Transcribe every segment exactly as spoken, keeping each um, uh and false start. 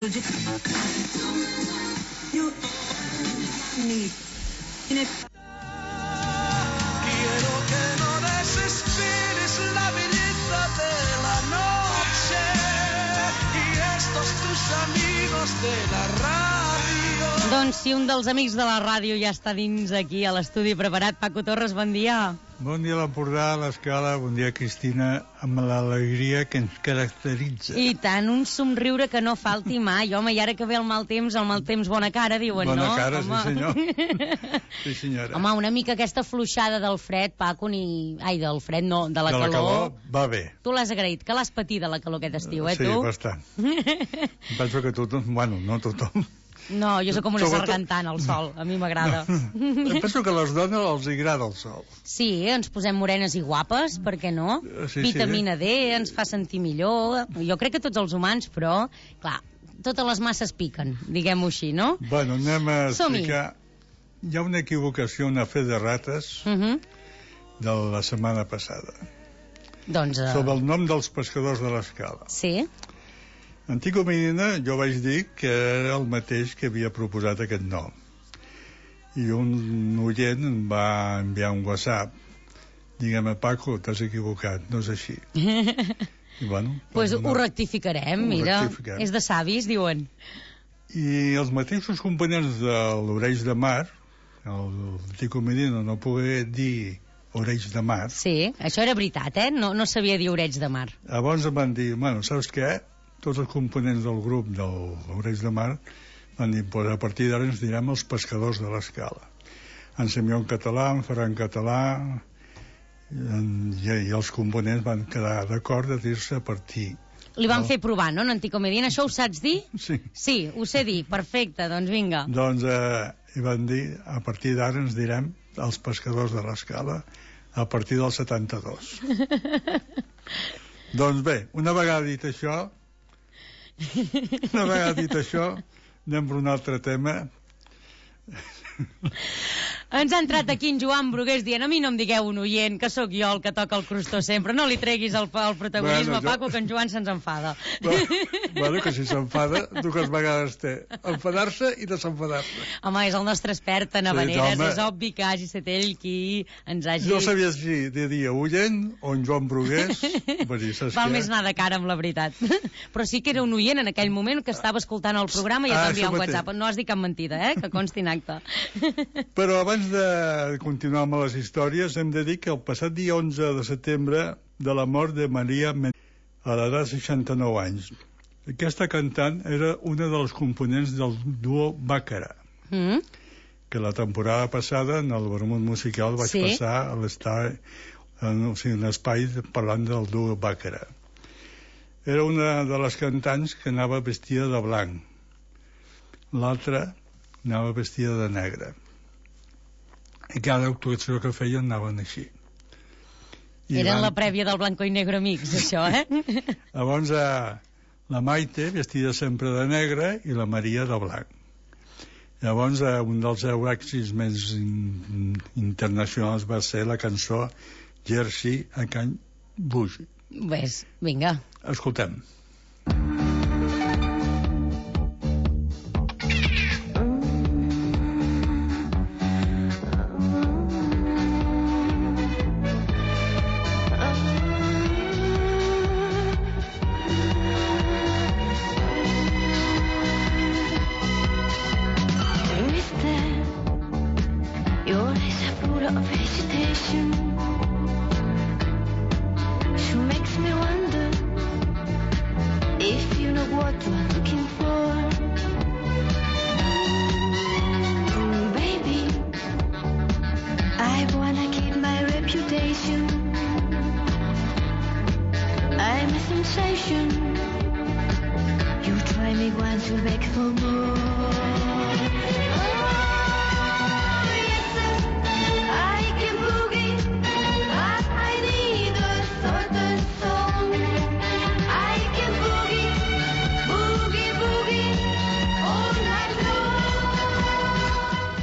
You need in it. Quiero que no desesperes la belleza de la noche y estos tus amigos de la radio. Doncs si un dels amics de la ràdio ja està dins aquí a l'estudi preparat, Paco Torres, bon dia. Bon dia a l'Empordà, a l'Escala, bon dia Cristina, amb l'alegria que ens caracteritza. I tant, un somriure que no falti mai. Home, i ara que ve el mal temps, el mal temps bona cara, diuen, bona no? Bona cara, home. sí senyor. Sí senyora. Home, una mica aquesta fluixada del fred, Paco, ni... Ai, del fred no, de la de calor. De la calor va bé. Tu l'has agraït, que l'has patit de la calor aquest estiu, eh, sí, tu? Sí, bastant. Penso que tothom, bueno, no tothom. No, jo sóc com una Sobretot... sargantant al sol, a mi m'agrada. No. Penso que a les dones els agrada el sol. Sí, ens posem morenes i guapes, per què no? Sí, Vitamina sí. D, ens fa sentir millor. Jo crec que tots els humans, però, clar, totes les masses piquen, diguem-ho així, no? Bueno, anem a explicar... Hi ha una equivocació, una fe de rates, uh -huh. de la setmana passada. Doncs... Uh... Sobre el nom dels pescadors de l'Escala. Sí. Antico Medina, jo vaig dir que era el mateix que havia proposat aquest nom. I un oient em va enviar un WhatsApp. Digue'm, Paco, t'has equivocat, no és així. I bueno... Pues no, ho rectificarem, ho mira. Rectificarem. És de savis, diuen. I els mateixos components de l'Oreix de Mar, el Antico Medina no pogué dir Oreix de Mar. Sí, això era veritat, eh? No, no sabia dir Oreix de Mar. Llavors em van dir, bueno, saps què? Tots els components del grup de l'Oreix de Mar van dir, pues a partir d'ara ens direm els pescadors de l'Escala. En Semió en català, en Ferran en català, en, i, i els components van quedar d'acord de dir-se a partir. Li van no? fer provar, no, en Antico Medina? Això ho saps dir? Sí. Sí, ho sé dir, perfecte, doncs vinga. Doncs eh, i van dir, a partir d'ara ens direm els pescadors de l'Escala a partir del setanta-dos. Doncs bé, una vegada dit això, una vegada dit això, anem per un altre tema. Ens ha entrat aquí en Joan Brugués dient, a mi no em digueu un oient, que sóc jo el que toca el crostó sempre, no li treguis el, el protagonisme, bueno, jo... Paco, que en Joan se'ns enfada. Bueno, bueno, que si s'enfada, dues vegades té enfadar-se i desenfadar-se. Home, és el nostre expert en havaneres, sí, és obvi que hagi estat ell qui ens hagi... No sabia si de dir oient o en Joan Brugués. Dir, val més anar de cara amb la veritat. Però sí que era un oient en aquell moment que estava escoltant el programa i et va enviar un WhatsApp. No has dit cap mentida, eh? Que consti en acte. Però abans de continuar amb les històries hem de dir que el passat dia onze de setembre de la mort de Maria Men a l'edat de seixanta-nou anys. Aquesta cantant era una de les components del duo Bàcara, mm. que la temporada passada en el Vermut Musical vaig sí. passar a l'estar en, o sigui, en espai parlant del duo Bàcara. Era una de les cantants que anava vestida de blanc, l'altra anava vestida de negre. I cada actuació que feien anaven així. I Eren van... la prèvia del Blanco i Negro Amics, això, eh? Llavors, eh, la Maite, vestida sempre de negre, i la Maria de blanc. Llavors, eh, un dels seus èxits més in internacionals va ser la cançó Jersey a Can Bougie. Ves, vinga. Escoltem.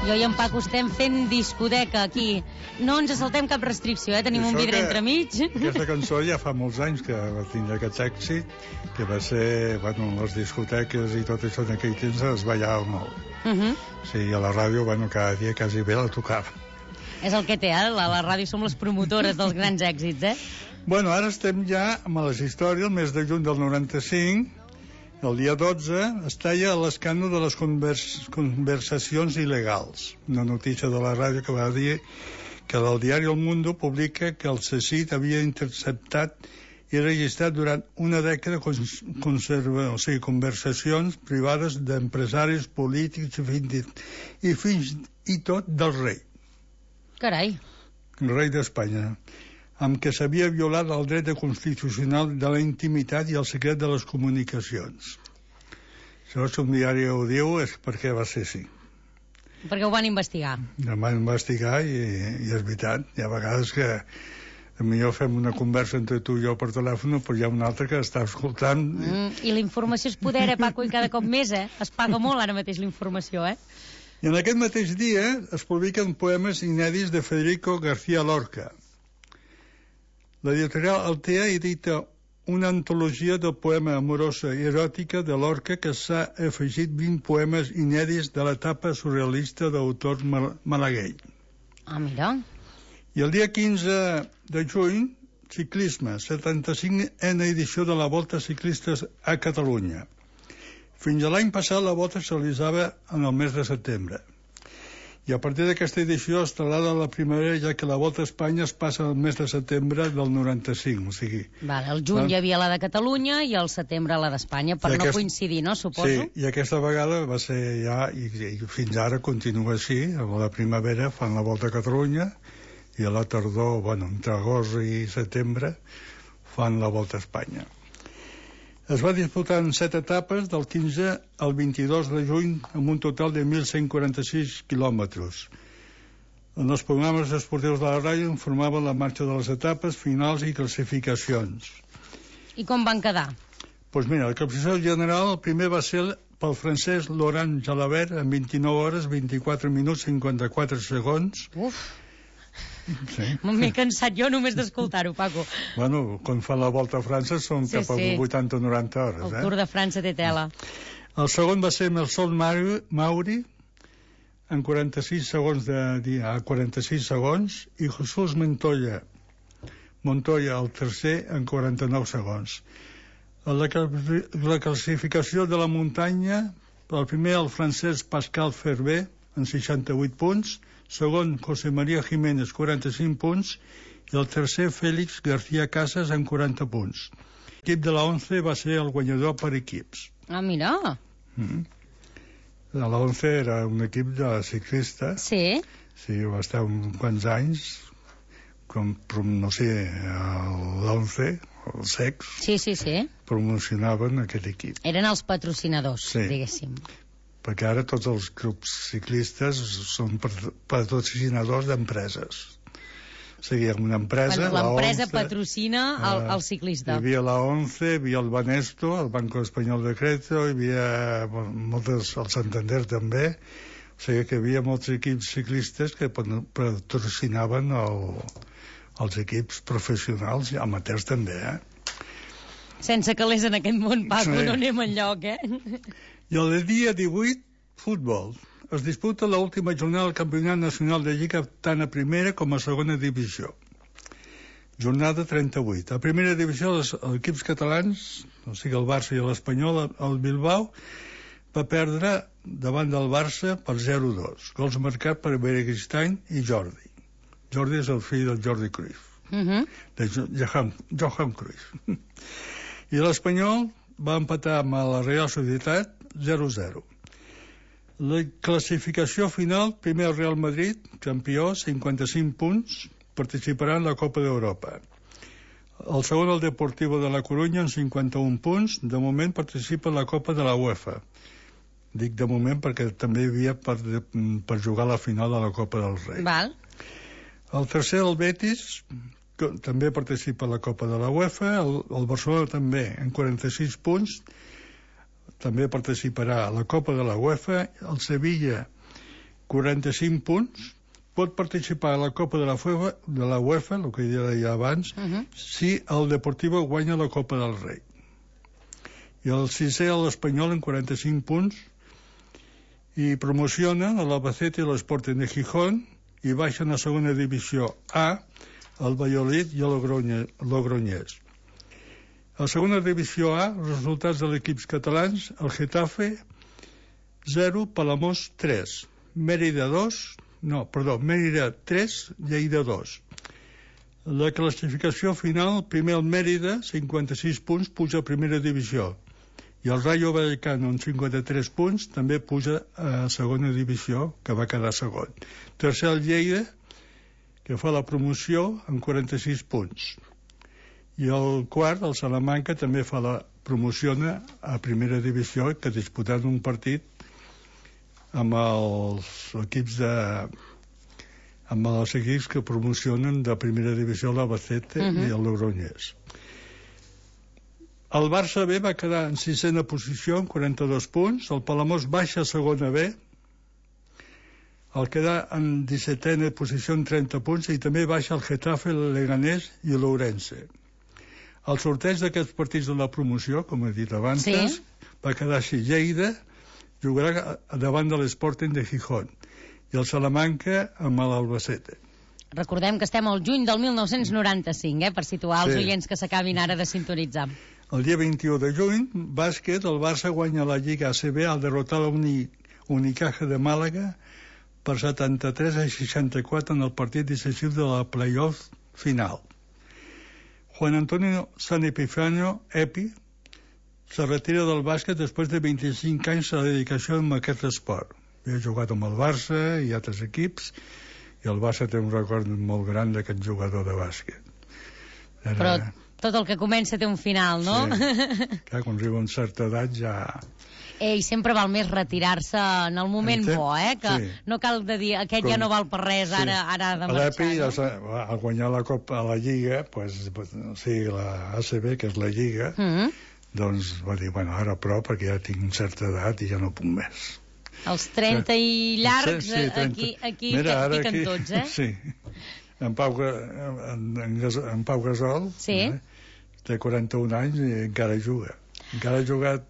Jo i en Paco estem fent discoteca aquí. No ens saltem cap restricció, eh? Tenim Això un vidre que- entremig. Aquesta cançó ja fa molts anys que va tindre aquest èxit, que va ser, bueno, les discoteques i tot això en aquell temps es ballava molt. Uh -huh. Sí, a la ràdio, bueno, cada dia quasi bé la tocava. És el que té, eh? La, la ràdio som les promotores dels grans èxits, eh? Bueno, ara estem ja amb les històries, el mes de juny del noranta-cinc, el dia dotze, es talla l'escàndol de les convers conversacions il·legals. Una notícia de la ràdio que va dir que el diari El Mundo publica que el C S I C havia interceptat i registrat durant una dècada cons conserva, o sigui, conversacions privades d'empresaris polítics i fins, i fins i tot del rei, Carai. el rei d'Espanya, amb què s'havia violat el dret constitucional de la intimitat i el secret de les comunicacions. Això, si un diari ho diu, és perquè va ser així. Perquè ho van investigar. Em van investigar i, i és veritat. Hi ha vegades que potser fem una conversa entre tu i jo per telèfon, però hi ha un altre que està escoltant. Mm, I la informació és poder, eh, Paco, i cada cop més, eh? Es paga molt ara mateix la informació, eh? I en aquest mateix dia es publiquen poemes inèdits de Federico García Lorca. L'editorial Altea edita una antologia de poema amorosa i eròtica de Lorca que s'ha afegit vint poemes inèdits de l'etapa surrealista d'autor mal malagueny. Ah, mira. I el dia quinze de juny, ciclisme, setanta-cinquena edició de la Volta Ciclistes a Catalunya. Fins a l'any passat la volta es realitzava en el mes de setembre. I a partir d'aquesta edició es traslada a la primavera, ja que la Volta a Espanya es passa al mes de setembre del noranta-cinc, o sigui... Vale, el juny Val. hi havia la de Catalunya i el setembre la d'Espanya, per I no aquest- coincidir, no, suposo? Sí, i aquesta vegada va ser ja, i, i fins ara continua així, a la primavera fan la Volta a Catalunya, i a la tardor, bueno, entre agost i setembre, fan la Volta a Espanya. Es va disputar en set etapes, del quinze al vint-i-dos de juny, amb un total de mil cent quaranta-sis quilòmetres. En els programes esportius de la ràdio informaven la marxa de les etapes, finals i classificacions. I com van quedar? Doncs mira, la classificació general, el primer va ser pel francès Laurent Jalabert, amb vint-i-nou hores, vint-i-quatre minuts, cinquanta-quatre segons. Uf, Sí. m'he cansat jo només d'escoltar-ho, Paco. Bueno, quan fan la Volta a França són Sí, cap als sí. vuitanta o noranta hores, El eh? Tour de França té tela. El segon va ser Melson Mauri, Mauri en quaranta-sis segons de dia, a quaranta-sis segons, i Jesús Montoya, Montoya, el tercer, en quaranta-nou segons. La, la classificació de la muntanya, el primer, el francès Pascal Ferber, en seixanta-vuit punts, segon, José María Jiménez, quaranta-cinc punts, i el tercer, Félix García Casas, en quaranta punts. L'equip de la ONCE va ser el guanyador per equips. Ah, mira. Mm. La ONCE era un equip de ciclistes, Sí. sí, va estar uns quants anys, com, no sé, l'ONCE, els secs, Sí, sí, sí. promocionaven aquest equip. Eren els patrocinadors, Sí. diguéssim. Perquè ara tots els clubs ciclistes són patrocinadors d'empreses. O sigui, una empresa, Quan l'empresa la ONCE, patrocina el, eh, el ciclista. Hi havia la ONCE, hi havia el Banesto, el Banco Espanyol de Crédito, hi havia bueno, moltes, el Santander també. O sigui que hi havia molts equips ciclistes que patrocinaven el, els equips professionals i amateurs també, eh? Sense calés en aquest món, Paco, Sí. no anem enlloc, eh? I el dia divuit, futbol. Es disputa l'última jornada del Campionat Nacional de Lliga tant a primera com a segona divisió. Jornada trenta-vuit. A primera divisió, els, els equips catalans, o sigui el Barça i l'Espanyol, el Bilbao, va perdre davant del Barça per zero a dos. Gols marcats per Beristain i Jordi. Jordi és el fill del Jordi Cruyff, Uh -huh. de Johan, Johan Cruyff. I l'Espanyol va empatar amb la Real Societat zero a zero. La classificació final, primer el Real Madrid, campió, cinquanta-cinc punts, participarà en la Copa d'Europa. El segon, el Deportivo de la Corunya, amb cinquanta-un punts, de moment participa en la Copa de la UEFA. Dic de moment perquè també hi havia per, per jugar a la final de la Copa del Rei. Val. El tercer, el Betis, que també participa a la Copa de la UEFA, el, el Barcelona també, en quaranta-sis punts, també participarà a la Copa de la UEFA, el Sevilla quaranta-cinc punts, pot participar a la Copa de la UEFA, de la UEFA, el que deia abans, uh -huh. si el Deportivo guanya la Copa del Rei. I el sisè, l'Espanyol, amb quaranta-cinc punts, i promocionen l'Albacete i l'Sporting de Gijón, i baixen a segona divisió A el Valladolid i el Logroñés. A segona divisió A, els resultats de l'equips catalans: el Getafe zero, Palamós tres, Mérida dos, no, perdó, Mérida tres, Lleida dos. La classificació final: primer el Mérida, cinquanta-sis punts, puja a primera divisió, i el Rayo Vallecano, amb cinquanta-tres punts, també puja a segona divisió, que va quedar segon. Tercer el Lleida, que fa la promoció, amb quaranta-sis punts. I el quart, el Salamanca, també fa la promociona a primera divisió, que disputant un partit amb els equips de amb els equips que promocionen de primera divisió l'Albacete uh -huh. i el Logroñés. El Barça B va quedar en sisena posició amb quaranta-dos punts, el Palamós baixa a segona B, el queda en dissetena posició amb trenta punts, i també baixa el Getafe, el Leganés i l'Ourense. El sorteig d'aquests partits de la promoció, com he dit abans, sí. va quedar així: Lleida jugarà davant de l'Sporting de Gijón i el Salamanca amb l'Albacete. Recordem que estem al juny del mil nou-cents noranta-cinc, eh, per situar els sí. oients que s'acabin ara de sintonitzar. El dia vint-i-u de juny, bàsquet, el Barça guanya la Lliga A C B al derrotar la Uni, Unicaja de Màlaga per setanta-tres a seixanta-quatre en el partit decisiu de la playoff final. Juan Antonio San Epifanio, Epi, se retira del bàsquet després de vint-i-cinc anys de dedicació amb aquest esport. Havia jugat amb el Barça i altres equips, i el Barça té un record molt gran d'aquest jugador de bàsquet. Era... Però tot el que comença té un final, no? Sí. Clar, quan arriba a una certa edat ja... Ei, sempre val més retirar-se en el moment Entenc? bo, eh? Que sí. no cal de dir, aquest Com... ja no val per res, ara, sí. ara ha de marxar. L'Epi, no? al guanyar la Copa a la Lliga, pues, pues, o sigui, la A C B, que és la Lliga, mm -hmm. doncs va dir, bueno, ara prou, perquè ja tinc certa edat i ja no puc més. Els trenta i llargs, sí, sí, trenta. aquí, aquí Mira, que piquen aquí, tots, eh? Sí. En Pau, en, en, en Pau Gasol sí. eh, té quaranta-un anys i encara juga. Encara ha jugat...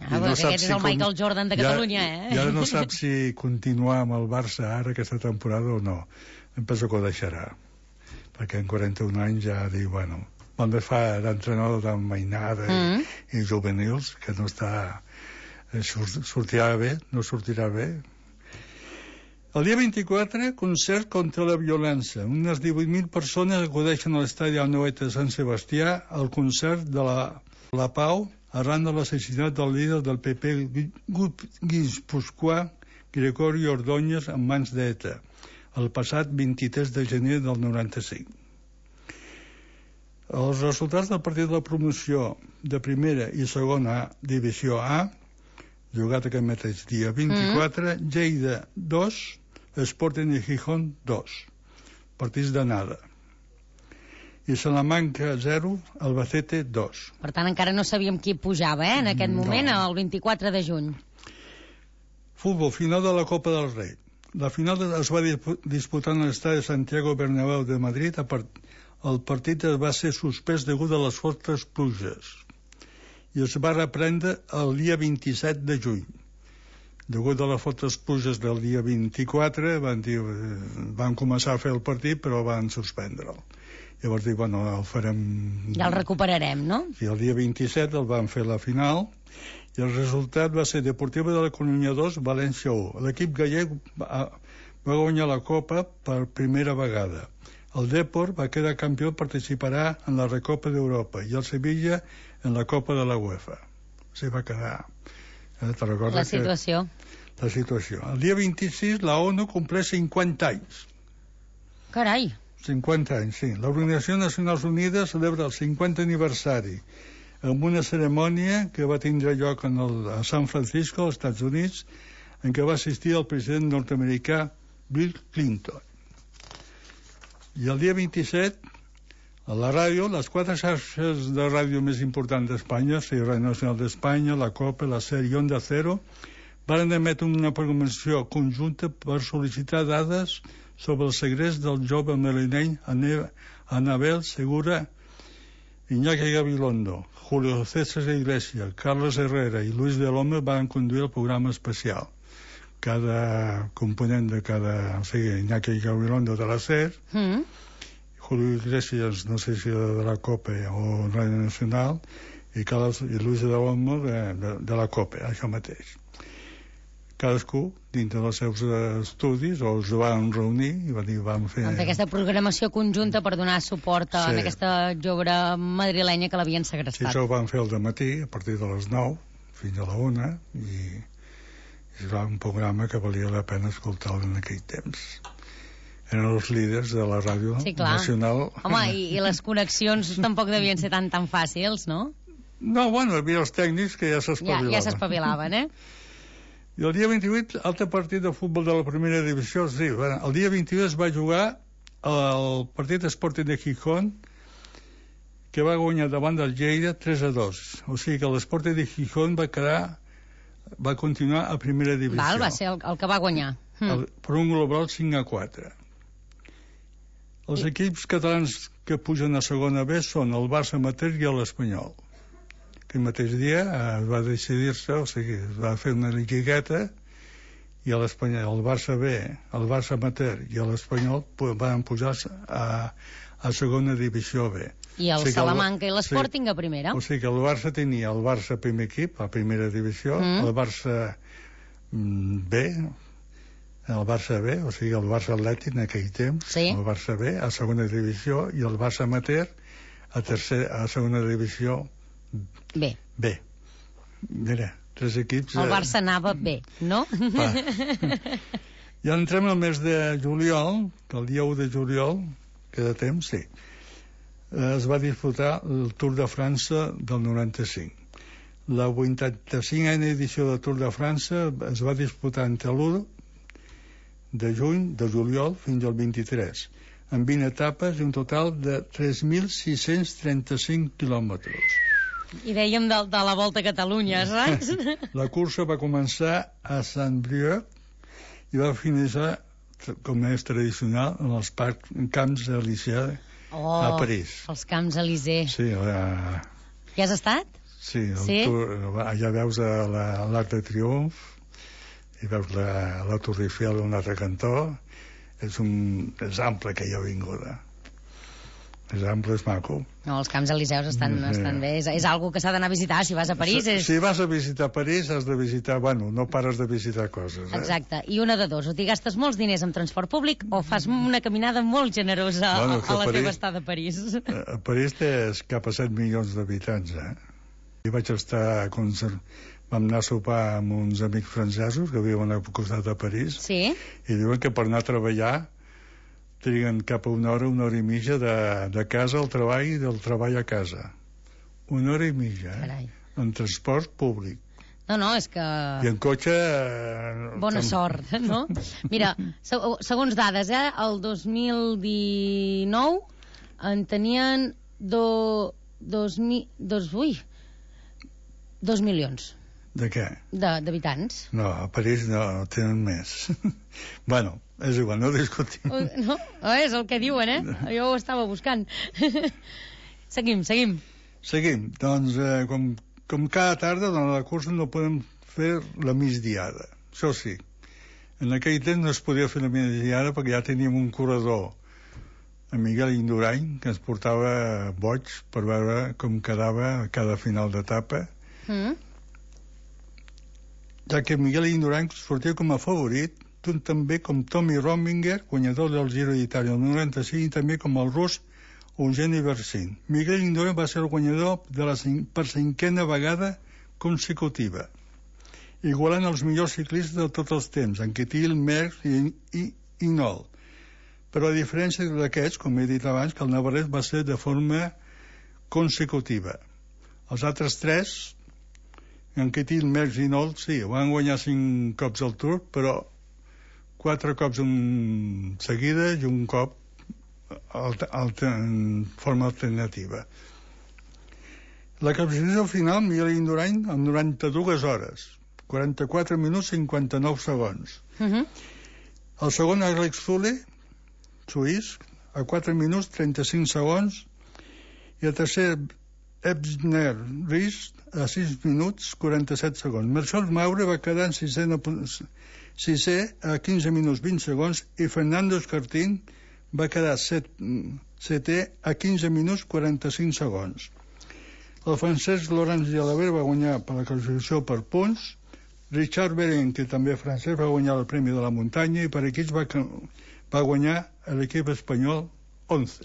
Ah, no aquest és el si Michael Jordan de Catalunya, ja, eh? I ara no sap si continuar amb el Barça ara aquesta temporada o no. Em penso que ho deixarà, perquè en quaranta-un anys ja diu, bueno, també fa d'entrenador de mainada mm. i, i juvenils, que no està... sortirà bé, no sortirà bé. El dia vint-i-quatre, concert contra la violència. Unes divuit mil persones acudeixen a l'estadi Anoeta de Sant Sebastià al concert de la, la Pau arran de l'assassinat del líder del P P guipuscoà Gregorio Ordóñez en mans d'ETA el passat vint-i-tres de gener del noranta-cinc. Els resultats del partit de la promoció de primera i segona divisió A, jugat aquest mateix dia vint-i-quatre, mm. Lleida dos, Sporting de Gijón dos, partits d'anada. I Salamanca zero, Albacete dos. Per tant, encara no sabíem qui pujava, eh, en aquest moment, no. El vint-i-quatre de juny. Futbol, final de la Copa del Rei. La final es va disputar en l'estadi de Santiago Bernabéu de Madrid. El partit va ser suspès degut a les fortes pluges i es va reprendre el dia vint-i-set de juny. Degut a les fortes pluges del dia vint-i-quatre van, dir, van començar a fer el partit, però van suspendre'l. Llavors dic, bueno, el farem... Ja el recuperarem, no? I el dia vint-i-set el van fer la final i el resultat va ser Deportivo de la Coruña dos, València u. L'equip gallec va, va guanyar la Copa per primera vegada. El Depor va quedar campió i participarà en la Recopa d'Europa i el Sevilla en la Copa de la UEFA. O sigui, va quedar... Eh, la situació. Que... La situació. El dia vint-i-sis la ONU compleix cinquanta anys. Carai! cinquanta anys, sí. L'Organització Nacions Unides celebra el cinquanta aniversari amb una cerimònia que va tindre lloc en el, a San Francisco, als Estats Units, en què va assistir el president nord-americà Bill Clinton. I el dia vint-i-set, a la ràdio, les quatre xarxes de ràdio més importants d'Espanya, o sigui, Ràdio Nacional d'Espanya, la COPE, la SER i Onda Cero, Varen emetre una programació conjunta per sol·licitar dades sobre el segrest del jove madrileny Anabel Segura, Iñaki Gabilondo, Julio César Iglesias, Carlos Herrera i Luis de l'Home van conduir el programa especial. Cada component de cada... O sigui, Iñaki Gabilondo de la SER, Mm. Julio Iglesias, no sé si de la COPE o Radio Nacional, i, Carlos, i Luis de l'Home de, de, de la COPE, això mateix. Cadascú, dintre dels seus estudis, o es van reunir i van dir, vam fer... Doncs aquesta programació conjunta per donar suport a Sí. aquesta jove madrilenya que l'havien Sí, segrestat. això ho van fer al dematí, a partir de les nou fins a la una, i, i va un programa que valia la pena escoltar en aquell temps. Eren els líders de la ràdio Sí, clar. nacional. Home, i, i les connexions tampoc devien ser tan tan fàcils, no? No, bueno, hi havia els tècnics que ja Ja, s'espavilaven. ja s'espavilaven, eh? I el dia vint-i-vuit, altre partit de futbol de la primera divisió, sí, bueno, el dia vint-i-vuit es va jugar el partit Sporting de Gijón, que va guanyar davant del Lleida tres a dos. O sigui que l'Sporting de Gijón va quedar, va continuar a primera divisió. Val, va ser el, el que va guanyar. Mm. el, per un global cinc a quatre. Els I- equips catalans que pugen a segona B són el Barça amateur i l'Espanyol. Aquell mateix dia eh, va decidir-se, o sigui, es va fer una lligueta i a l'Espanyol, el Barça B, el Barça amateur i l'Espanyol pu- van pujar a, a segona divisió B. I el O sigui que el- Salamanca i l'Sporting a primera. O sigui que el Barça tenia el Barça primer equip, a primera divisió, Mm. el Barça mm, B, el Barça B, o sigui el Barça Atlètic en aquell temps, Sí. el Barça B a segona divisió i el Barça Amateur a, tercer, a segona divisió Bé, B. Mira, tres equips... el eh, Barça anava bé, no? Va. Ja entrem al mes de juliol, que el dia u de juliol, queda temps, sí, eh, es va disputar el Tour de França del noranta-cinc. La vuitanta-cinquena edició del Tour de França es va disputar entre l'u de juny, de juliol, fins al vint-i-tres, amb vint etapes i un total de tres mil sis-cents trenta-cinc quilòmetres. I dèiem de, de la Volta a Catalunya, saps? La cursa va començar a Saint-Brieuc i va finalitzar, com és tradicional, en els parcs, en camps Elísia Oh, a París. els Camps Elysée. Sí, la, Hi has estat? sí, el Sí? Tour, allà veus a la, l'Arc de Triomf i veus la, la Tour Eiffel a un altre cantó. És, un, és ample aquella avinguda. És ample, és maco. No, els Camps Eliseus estan, Sí. estan bé. És, és algo que s'ha d'anar a visitar si vas a París. Si, És... si vas a visitar París has de visitar, bueno, no pares de visitar coses. Eh? Exacte. I una de dos, o t'hi gastes molts diners en transport públic o fas una caminada molt generosa Bueno, a, que a la París- teva estada a París. A París té cap a set milions d'habitants, eh? I vaig estar... Conser... Vam anar a sopar amb uns amics francesos que viuen al costat de París Sí? i diuen que per anar a treballar triguen cap a una hora, una hora i mitja de, de casa al treball i del treball a casa. Una hora i mitja, eh? Carai. En transport públic. No, no, és que... I en cotxe... Eh, Bona com- sort, no? Mira, se- segons dades, eh, el dos mil dinou en tenien do, dos, mi, dos, ui, dos milions De què? de- d'habitants. No, a París no, tenen més. Bueno, és igual, no discutim. Oh, no? Oh, és el que diuen, eh? Jo ho estava buscant. Seguim, seguim. Seguim. Doncs, eh, com, com cada tarda, durant la cursa no podem fer la migdiada. Això sí. En aquell temps no es podia fer la migdiada perquè ja teníem un corredor, en Miguel Indurain, que ens portava boig per veure com quedava a cada final d'etapa, Mm? ja que Miguel Indurain sortia com a favorit, tant també com Tommy Rominger, guanyador del Giro d'Itàlia el noranta-cinc, i també com el rus Eugeni Versin. Miguel Indurain va ser el guanyador de la cin- per cinquena vegada consecutiva, igualant els millors ciclistes de tots els temps, Anquetil, Merckx i, i Hinault. Però a diferència d'aquests, com he dit abans, que el navarrès va ser de forma consecutiva. Els altres tres, Anquetil, Merckx i Hinault, sí, van guanyar cinc cops el Tour, però quatre cops en seguida i un cop alter, alter, en forma alternativa. La classificació final, Miguel Indurain, en noranta-dues hores, quaranta-quatre minuts cinquanta-nou segons. Uh -huh. El segon, Alex Zule, suís, a quatre minuts trenta-cinc segons. I el tercer, Ebner Ries, a sis minuts quaranta-set segons. Marcel Maure va quedar en sisè, sisè a quinze minuts vint segons i Fernando Escartín va quedar set, setè a quinze minuts quaranta-cinc segons. El francès Laurent Jalabert va guanyar per la classificació per punts. Richard Beren, que també francès, va guanyar el Premi de la Muntanya, i per equips va, va guanyar l'equip espanyol onze.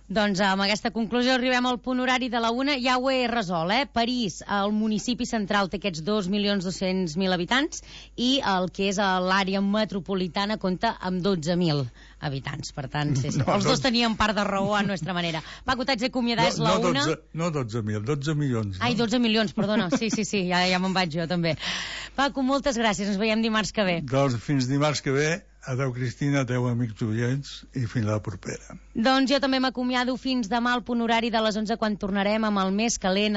Doncs amb aquesta conclusió arribem al punt horari de la una. Ja ho he resolt, eh? París, el municipi central, té aquests dos milions dos-cents mil habitants i el que és l'àrea metropolitana compta amb dotze mil habitants. Per tant, sí, sí. No, els dos tenien part de raó a nostra manera. Paco, t'haig d'acomiadar, no, és la no una. dotze, no dotze mil, dotze milions. No? Ai, dotze milions, perdona. Sí, sí, sí, ja, ja me'n vaig jo també. Paco, moltes gràcies. Ens veiem dimarts que ve. Doncs fins dimarts que ve. Adeu, Cristina, adeu, amics oients, i fins la propera. Doncs jo també m'acomiado fins demà al punt horari de les onze, quan tornarem amb el més calent a